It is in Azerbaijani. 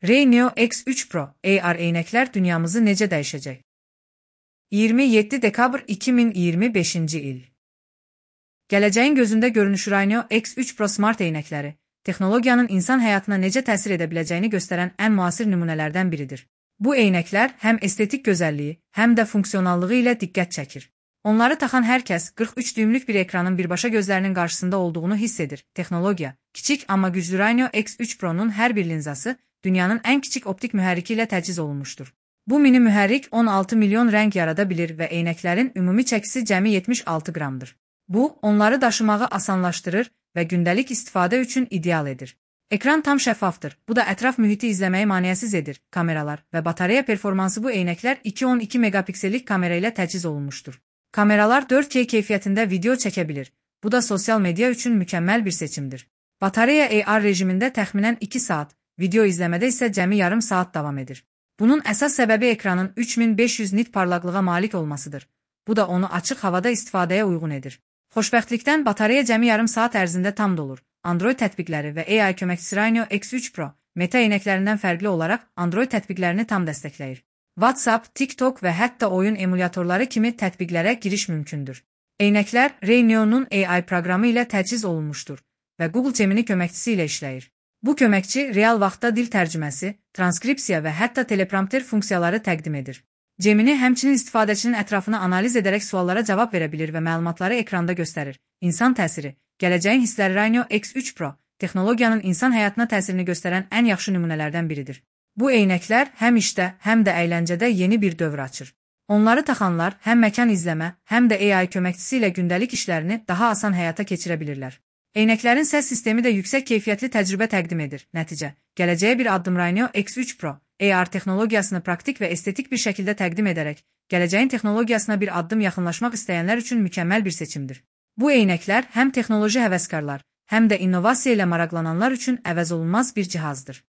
Reyneo X3 Pro AR eynəklər dünyamızı necə dəyişəcək? 27 dekabr 2025-ci il. Gələcəyin gözündə görünüşü Reyneo X3 Pro Smart eynəkləri, texnologiyanın insan həyatına necə təsir edə biləcəyini göstərən ən müasir nümunələrdən biridir. Bu eynəklər həm estetik gözəlliyi, həm də funksionallığı ilə diqqət çəkir. Onları taxan hər kəs 43 düymlük bir ekranın birbaşa gözlərinin qarşısında olduğunu hiss edir. Texnologiya, kiçik amma güclü Reyneo X3 Pro-nun hər bir linzası dünyanın ən kiçik optik mühərriki ilə təchiz olunmuşdur. Bu mini mühərrik 16 milyon rəng yarada bilir və eynəklərin ümumi çəkisi cəmi 76 qramdır. Bu, onları daşımağı asanlaşdırır və gündəlik istifadə üçün ideal edir. Ekran tam şəffafdır. Bu da ətraf mühiti izləməyi maneəsiz edir. Kameralar və batareya performansı bu eynəklər 212 megapiksellik kamera ilə təchiz olunmuşdur. Kameralar 4K keyfiyyətində video çəkə bilir. Bu da sosial media üçün mükəmməl bir seçimdir. Batareya AR rejimində təxminən 2 saat, video izləmədə isə cəmi yarım saat davam edir. Bunun əsas səbəbi ekranın 3500 nit parlaqlığa malik olmasıdır. Bu da onu açıq havada istifadəyə uyğun edir. Xoşbəxtlikdən batareya cəmi yarım saat ərzində tam dolur. Android tətbiqləri və AI köməkçisi Reyneo X3 Pro Meta eynəklərindən fərqli olaraq Android tətbiqlərini tam dəstəkləyir. WhatsApp, TikTok və hətta oyun emulyatorları kimi tətbiqlərə giriş mümkündür. Eynəklər Reyneo'nun AI proqramı ilə təchiz olunmuşdur və Google Gemini köməkçisi ilə işləyir. Bu köməkçi real vaxtda dil tərcüməsi, transkripsiya və hətta teleprompter funksiyaları təqdim edir. Gemini həmçinin istifadəçinin ətrafını analiz edərək suallara cavab verə bilir və məlumatları ekranda göstərir. İnsan təsiri, gələcəyin hissləri Reyneo X3 Pro texnologiyanın insan həyatına təsirini göstərən ən yaxşı nümunələrdən biridir. Bu eynəklər həm işdə, həm də əyləncədə yeni bir dövr açır. Onları taxanlar həm məkan izləmə, həm də AI köməkçisi ilə gündəlik işlərini daha asan həyata keçirə bilirlər. Eynəklərin səs sistemi də yüksək keyfiyyətli təcrübə təqdim edir. Nəticə, gələcəyə bir addım Reyneo X3 Pro AR texnologiyasını praktik və estetik bir şəkildə təqdim edərək, gələcəyin texnologiyasına bir addım yaxınlaşmaq istəyənlər üçün mükəmməl bir seçimdir. Bu eynəklər həm texnoloji həvəskarlar, həm də innovasiya ilə maraqlananlar üçün əvəzolunmaz bir cihazdır.